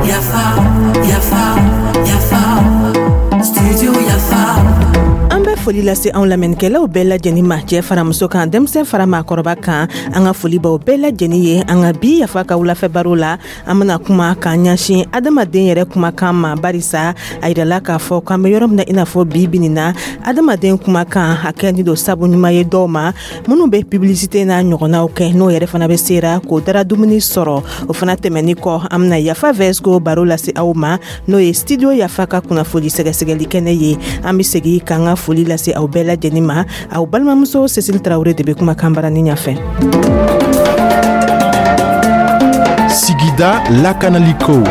Yafa, yafa, yafa, studio Yafa. An bɛ foli lase anw lamɛnnikɛlaw bɛɛ lajɛnin ma, cɛɛ fara muso kan, denmisɛn fara maakɔrɔba kan. An ka foli baw bɛɛ lajɛnin ye. An ka bi Yafa ka wulafɛ baro la, an bena kuma k'an ɲɛsin adamaden yɛrɛ kumakan ma, barisa a yirala k'a fɔ k'an be yɔrɔ min na, i n'a fɔ bi binin na, adamaden kumakan a kɛni don sabu ɲuman ye dɔw ma minnu bɛ publicité n'a ɲɔgɔnnaw kɛ, n'o yɛrɛ fana bɛ sera k'o dara dumuni sɔrɔ. O fana tɛmɛni kɔ, an bena Yafa Vɛsco baro lase aw ma, n'o ye Studio Yafa ka kunnafoli sɛgɛsɛgɛli kɛnɛ ye. An be segi k'an ka foli lase aw bɛɛ lajɛnin ma. Aw balimamuso Cécile Tarawure de be kumakan barani ɲafɛ. Sigida lakanaliko.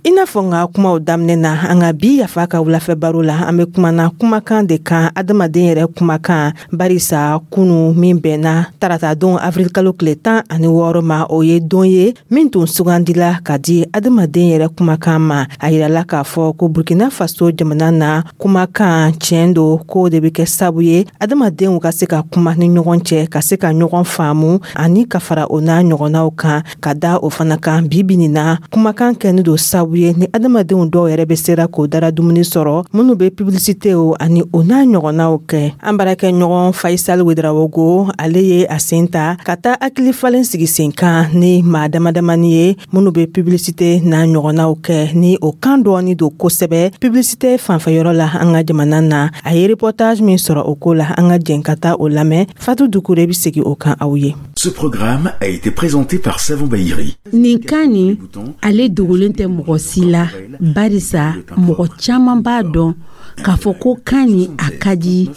I n'a fɔ n ka kumaw daminɛ na, an ka bi Yafa ka wulafɛ baro la, an bɛ kumana kumakan de kan, adamaden yɛrɛ kumakan, barisa kunu min bɛnna tarata don avril kalo tile 16 ma, o ye don ye min tun sugandila ka di adamaden yɛrɛ kumakan ma. A yirala k'a fɔ ko Burkina Faso jamana na, kumakan tiɲɛ don k'o de bɛ kɛ sabu ye adamadenw ka se ka kuma ni ɲɔgɔn cɛ, ka se ka ɲɔgɔn faamu ani ka fara o n'a ɲɔgɔnnaw kan. Ka da o fana kan, bi bi nin na, kumakan kɛni don sabu ye ni adamadenw dɔw yɛrɛ bɛ sera k'o dara dumuni sɔrɔ, minnu bɛ publicité o ani o n'a ɲɔgɔnnaw kɛ. An baarakɛ ɲɔgɔn Faisal Wedarawogo, ale ye a sen ta ka taa hakili falen sigi sen kan ni maa dama damani ye minnu bɛ publicité n'a ɲɔgɔnnaw kɛ, ni o kan dɔɔni don kosɛbɛ publicité fanfɛyɔrɔ la an ka jamana na. A ye reportage min sɔrɔ o ko la, an ka jɛn ka taa o lamɛn. Fatu Dukure bɛ segin o kan aw ye. Ce programme a été présenté par Savon Bayiri. Nin kan nin, ale dogolen tɛ mɔgɔ si la, barisa mɔgɔ caman b'a dɔn k'a fɔ ko kan nin a ka di.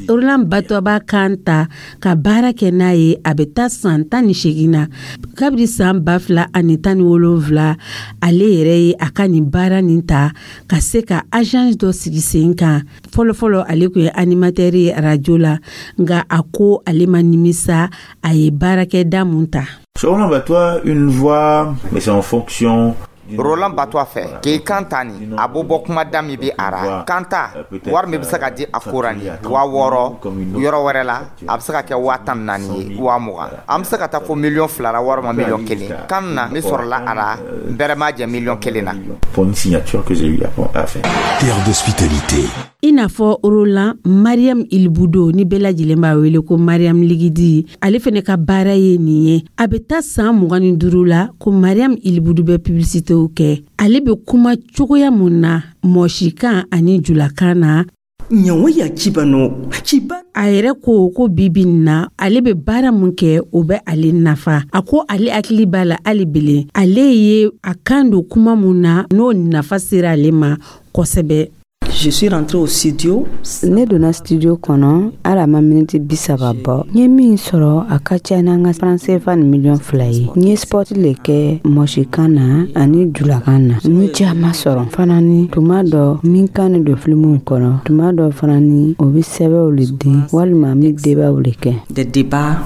Roland Batɔ b'a kan ta ka baara kɛ n'a ye, a bɛ taa san 18 na. Kabini san 2017, ale yɛrɛ ye a ka nin baara nin ta ka se ka agence dɔ sigi sen kan. Fɔlɔfɔlɔ, ale tun ye animateur ye arajo la, nka a ko ale ma nimisa a ye baarakɛda mun ta. Roland Batois, une voix, mais c'est en fonction. Roland Batɔ fɛ k'i kan ta nin, a b'o bɔ kumada min bɛ a ra kan ta, wari min bɛ se ka di a ko nin 6000, yɔrɔ wɛrɛ la a bɛ se ka kɛ 14,000 ye, 20,000, an bɛ se ka taa fɔ miliyɔn 2 la walima miliyɔn 1. Kan na min sɔrɔla a la, bɛrɛ ma jɛ miliyɔn 1 na. Pour une signature que j'ai eu à faire. Terre d'hospitalité. I n'a fɔ Roland, Mariam Ilbudo, ni bɛɛ lajɛlen b'a wele ko Mariam Ligidi, ale fɛnɛ ka baara ye nin ye. A bɛ taa san 25 la ko Mariam Ilbudu bɛ publicitéw kɛ. Ale bɛ kuma cogoya mun na mɔsikan ani julakan na. Ɲawaya cibano ciba. A yɛrɛ ko ko bibi nin na, ale bɛ baara mun kɛ, o bɛ ale nafa. A ko ale hakili b'a la hali bilen, ale ye a kan don kuma mun na, n'o nafa sera ale ma kosɛbɛ. Je suis rentrée au studio. Ne donna studio kɔnɔ, hali a ma miniti 30 bɔ, n ye min sɔrɔ, a ka ca n'an ka franc CFA ni miliyɔn 2 ye. N ye spot le kɛ mɔsikan na ani julakan na. N ye caman sɔrɔ fana. Ni tuma dɔ min kan ni don filimuw kɔnɔ, tuma dɔ fana ni o bɛ sɛbɛnw le di walima n bɛ débatw le kɛ. Des débats.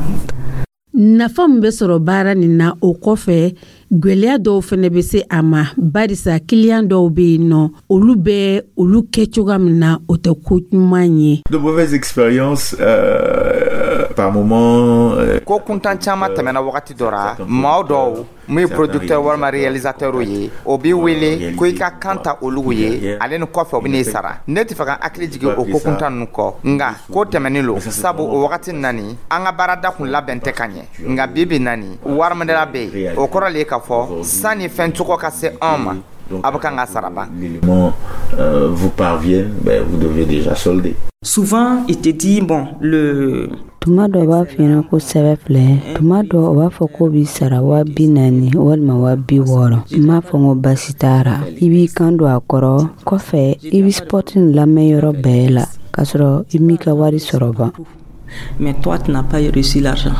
Nafa min bɛ sɔrɔ baara nin na, o kɔfɛ, gwɛlɛya dɔw fɛnɛ bɛ se a ma, barisa kiliyan dɔw bɛ yen nɔ, olu bɛ olu kɛ cogoya min na, o tɛ ko ɲuman ye. De mauvaises expériences par moment. Ko kuntan caman tɛmɛna wagati dɔ ra. Maa dɔw mun ye producteur walima réalisateur ye, o b'i wele ko i ka kan ta olu ye, ale ni kɔfɛ o bɛ n'i sara. Ne tɛ fɛ ka hakili jigin o ko kuntan ninnu kɔ, nka ko tɛmɛnen lo, sabu o wagati nani an ka baarada kun labɛn tɛ ka ɲɛ. Nka bi bi nani, wariminɛla bɛ yen, o kɔrɔ le ye k'a fɔ sanni fɛn cogo ka se anw ma, a bɛ kan ka sara ban. L'élément vous parvienne, ben, vous devez déjà solder. Souvent, il te dit, bon, le Tuma dɔ b'a f'i ɲɛna ko sɛbɛ filɛ, tuma dɔ o b'a fɔ k'o b'i sara 40,000 walima 60,000. N m'a fɔ n ko basi t'a ra. I b'i kan don a kɔrɔ, kɔfɛ i bɛ spot nin lamɛn yɔrɔ bɛɛ la k'a sɔrɔ i m'i ka wari sɔrɔ ban. Mais toi, tu n'as pas reçu l'argent.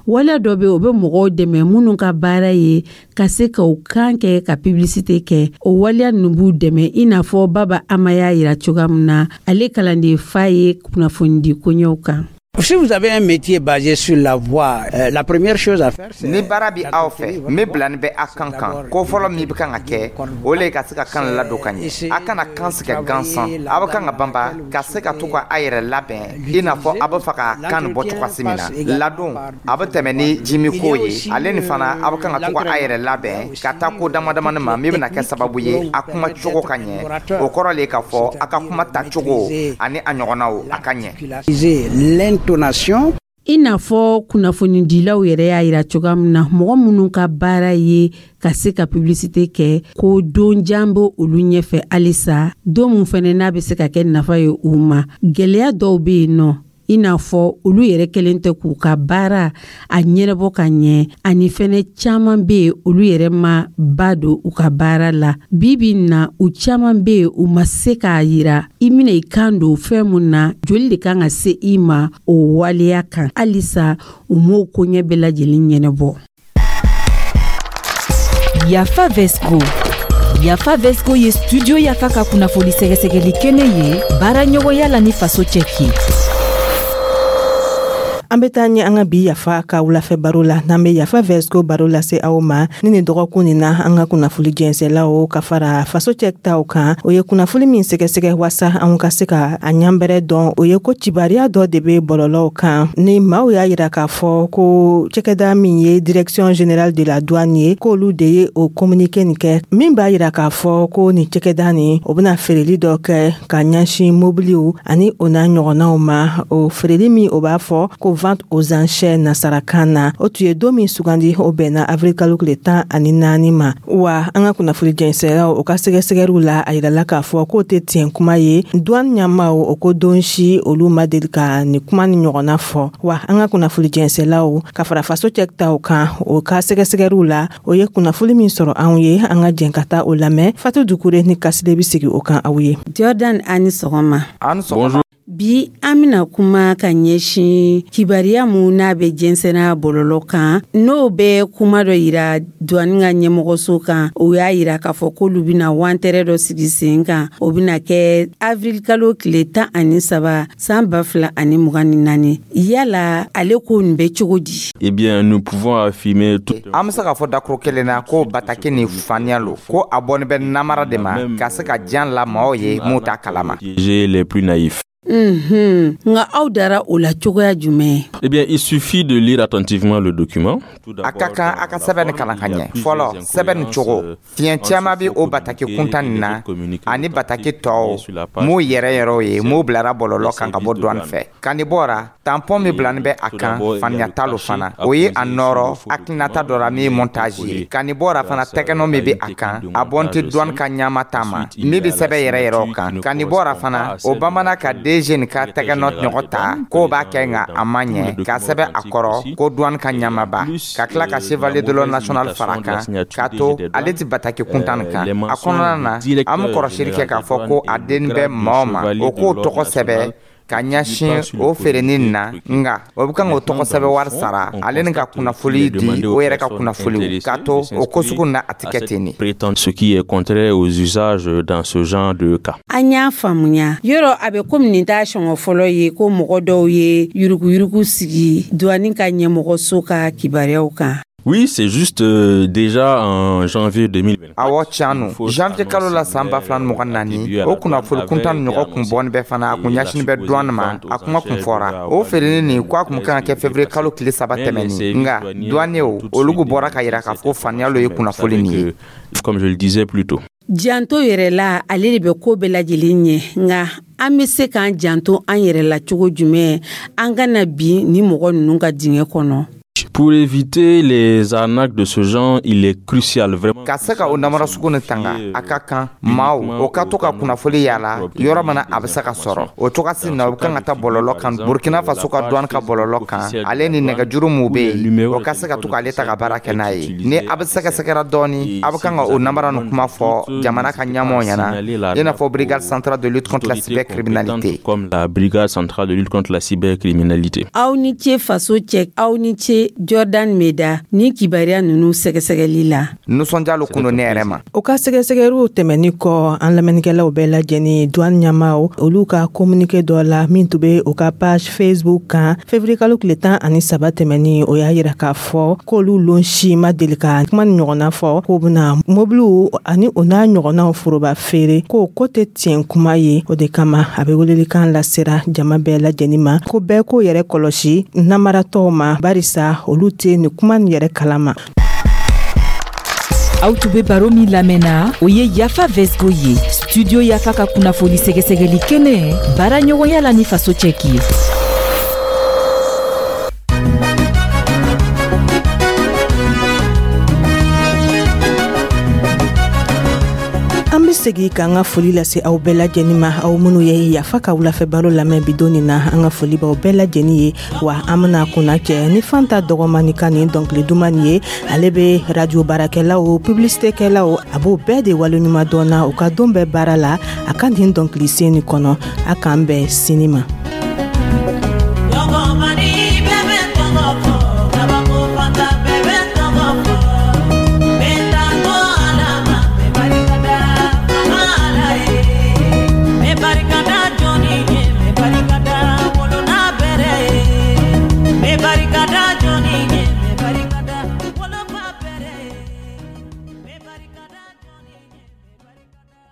Waleya dɔ bɛ, o bɛ mɔgɔw dɛmɛ minnu ka baara ye ka se ka u kan kɛ ka publicité kɛ. O waleya ninnu b'u dɛmɛ, i n'a fɔ Baba Ama y'a yira cogoya min na, ale kalanden fa ye kunnafonidi koɲɛw kan. Si vous avez un métier basé sur la voix, la première chose à faire, c'est Ni baara bi aw fɛ min bilani bɛ a kan kan, ko fɔlɔ min bɛ kan ka kɛ, o le ye ka se ka kan ladon ka ɲɛ. A kana kan sɛgɛ gansan. A bɛ kan ka banba ka se ka to ka a yɛrɛ labɛn i n'a fɔ a bɛ fɛ ka kan nin bɔ cogoya min na. Ladon a bɛ tɛmɛ ni jimiko ye. Ale ni fana, a bɛ kan ka to ka a yɛrɛ labɛn ka taa ko dama damani ma min bɛna kɛ sababu ye a kuma cogo ka ɲɛ. O kɔrɔ le k'a fɔ a ka kuma tacogo ani a ɲɔgɔnnaw, a ka ɲɛ. L'intonation. I n'a fɔ kunnafonidilaw yɛrɛ y'a yira cogoya min na, mɔgɔ minnu ka baara ye ka se ka publicité kɛ, ko don jan bɛ olu ɲɛfɛ halisa, don min fɛnɛ n'a bɛ se ka kɛ nafa ye u ma. Gwɛlɛya dɔw bɛ yen nɔ, i n'a fɔ olu yɛrɛ kɛlen tɛ k'u ka baara a ɲɛnabɔ ka ɲɛ, ani fɛnɛ caaman be yen, olu yɛrɛ ma ba don u ka baara la. Bi bi na, u caaman be yen, u ma se k'a yira i mina i kan don fɛn mun na, joli de kan ka se i ma o waleya kan. Halisa u m'o koɲɛ bɛɛ lajɛlen ɲɛnabɔ. Yafa Vesco. Yafa Vesco ye Studio Yafa ka kunnafoni sɛgɛsɛgɛli kɛnɛ ye, baara ɲɔgɔnya la ni Faso Cɛki. An bɛ taa ɲɛ an ka bi Yafa ka wulafɛ baro la, n'an bɛ Yafa Vesco baro lase aw ma. Ni nin dɔgɔkun nin na, an ka kunnafoli jɛnsɛlaw ka fara Faso Cɛ taw kan, o ye kunnafoli min sɛgɛsɛgɛ wasa an ka se ka a ɲanbɛrɛ dɔn, o ye ko cibariya dɔ de bɛ bɔlɔlɔw kan, ni maaw y'a yira k'a fɔ ko cɛkɛda min ye Direction générale de la douane ye, k'olu de ye o communiqué nin kɛ, min b'a yira k'a fɔ ko nin cɛkɛda nin, o bɛna feereli dɔ kɛ ka ɲɛsin mobiliw ani o n'a ɲɔgɔnnaw ma. O feereli min, o b'a fɔ ko vente aux enchères nasarakan na, o tun ye don min sugandi, o bɛnna avril kalo tile 14 ma. Wa an ka kunnafoni jɛnsɛlaw, o ka sɛgɛsɛgɛliw la, a yirala k'a fɔ k'o tɛ tiɲɛ kuma ye. Douane ɲɛmaw, o ko don si olu ma deli ka nin kuma ni ɲɔgɔnna fɔ. Wa an ka kunnafoni jɛnsɛlaw ka fara Faso Cɛ taw kan, o ka sɛgɛsɛgɛliw la, o ye kunnafoni min sɔrɔ anw ye, an ka jɛn ka taa o lamɛn. Fatu Dukure ni Kasile bɛ sigi o kan aw ye. Jordan, ani sɔgɔma. Ani sɔgɔma. Bi, an bɛna kuma ka ɲɛsin kibariya mun n'a bɛ jɛnsɛnna bɔlɔlɔ kan, n'o bɛ kuma dɔ yira douane ka ɲɛmɔgɔso kan. O y'a yira k'a fɔ k'olu bɛna wantɛrɛ dɔ sigi sen kan, o bɛna kɛ avril kalo tile 13 san 2024. Yala ale ko nin bɛ cogo di? Eh bien, nous pouvons affirmer tout. An bɛ se k'a fɔ dakuru kelen na ko bataki ni faniya lo, ko a bɔni bɛ namara de ma ka se ka jan la maaw ye mun t'a kalama. Les plus naïfs. Nka aw dara o la cogoya jumɛn? Eh bien, il suffit de lire attentivement le document. A ka kan a ka sɛbɛn nin kalan ka ɲɛ. Fɔlɔ, sɛbɛn nin cogo, fiɲɛ caman bɛ o bataki kuntan nin na ani bataki tɔw m'u yɛrɛ yɛrɛw ye m'u bilara bɔlɔlɔ kan ka bɔ douane fɛ. Ka nin bɔra, tampon min bilani bɛ a kan, faniya t'a lo fana. O ye a nɔrɔ hakilinata dɔ la min ye montage ye. Ka nin bɔra fana, tɛgɛnɔ min bɛ a kan, a bɔn tɛ douane ka ɲama ta ma min bɛ sɛbɛn yɛrɛ yɛrɛw kan. Ka nin bɔra fana, o bamanan ka DG nin ka tɛgɛnɔ ɲɔgɔn ta k'o b'a kɛ, nka a ma ɲɛ ka sɛbɛn a kɔrɔ ko douane ka ɲamaba, ka tila ka chevalier de l'ordre national fara kan, k'a to ale ti bataki kuntan nin kan. A kɔnɔna na, an bɛ kɔrɔsili kɛ k'a fɔ ko a den bɛ maa o ma, o k'o tɔgɔ sɛbɛn ka ɲɛsin o feereni na, nka o bɛ kan k'o tɔgɔ sɛbɛn wari sara ale ni ka kunnafoli di o yɛrɛ ka kunnafoliw, k'a to o ko sugu na, a tɛ kɛ ten de. Prétendre ce qui est contraire aux usages dans ce genre de cas. An y'a faamuya. Yɔrɔ a bɛ komi nin t'a sɔngɔ fɔlɔ ye ko mɔgɔ dɔw ye yuruguyurugu sigi douane ka ɲɛmɔgɔso ka kibaruyaw kan. Oui, c'est juste, déjà en janvier 2024. Awɔ, tiɲɛ no. Janvier kalo la san 2024, o kunnafoni kuntan ni ɲɔgɔn kun bɔni bɛ fana, a kun ɲɛsini bɛ douane ma. A kuma kun fɔra o feereni nin ko a kun kan ka kɛ février kalo tile 3 tɛmɛni, nka douaniers olu kun bɔra ka yira k'a fɔ ko faniya lo ye kunnafoni nin ye. Comme je le disais plus tôt. Janto yɛrɛ la, ale de bɛ ko bɛɛ lajɛlen ɲɛ. Nka an bɛ se k'an janto an yɛrɛ la cogo jumɛn, an kana bin ni mɔgɔ ninnu ka dingɛ kɔnɔ? Pour éviter les arnaques de ce genre, il est crucial vraiment. Ka se ka o namara sugu ni tanga, a ka kan maaw o ka to ka kunnafoli yala yɔrɔ min na a bɛ se ka sɔrɔ. O cogoya na, o kan ka taa bɔlɔlɔ kan, Burkina Faso ka douane ka bɔlɔlɔ kan, ale ni nɛgɛjuru mun bɛ yen, o ka se ka to k'ale ta ka baara kɛ n'a ye. Ni a bɛ sɛgɛsɛgɛra dɔɔni, a bɛ kan ka o namara nin kuma fɔ jamana ka ɲɛmɔgɔ ɲɛna, i n'a fɔ Brigade centrale de lutte contre la cybercriminalité. Comme la Brigade centrale de lutte contre la cybercriminalité. Aw ni ce, Faso Cɛ, aw ni ce. Jordan Meda ni kibaruya ninnu sɛgɛsɛgɛli la. Nisɔndiya lo kun don ne yɛrɛ ma. O ka sɛgɛsɛgɛliw tɛmɛni kɔ, an lamɛnnikɛlaw bɛɛ lajɛlen, douane ɲɛmaw olu ka communiqué dɔ la min tun bɛ u ka page Facebook kan février kalo tile 13 tɛmɛni, o y'a yira k'a fɔ k'olu lon si ma deli ka kuma ni ɲɔgɔnna fɔ k'o bɛna mobiliw ani o n'a ɲɔgɔnnaw foroba feere, k'o ko tɛ tiɲɛ kuma ye. O de kama, a bɛ welelikan lasera jama bɛɛ lajɛlen ma ko bɛɛ k'o yɛrɛ kɔlɔsi namaratɔw ma, barisa olu tɛ nin kuma nin yɛrɛ kalama. Aw tun bɛ baro min lamɛnna, o ye Yafa Vesgo ye, Studio Yafa ka kunnafoni sɛgɛsɛgɛli kɛnɛ, baara ɲɔgɔnya la ni Faso cɛki ye. An be segi k'an ka foli lase aw bɛɛ lajɛnin ma, aw minnu ye Yafa ka wulafɛ baro lamɛn bidon nin na. An ka foli b'aw bɛɛ lajɛnin ye. Wa an bena kunna cɛ ni Fanta Dɔgɔmani ka nin dɔnkili duman nin ye. Ale be radio baarakɛlaw, publicitékɛlaw, a b'o bɛɛ de waleɲuman dɔn na u ka don bɛɛ baara la, a ka nin dɔnkili sen nin kɔnɔ. A k'an bɛn sini ma.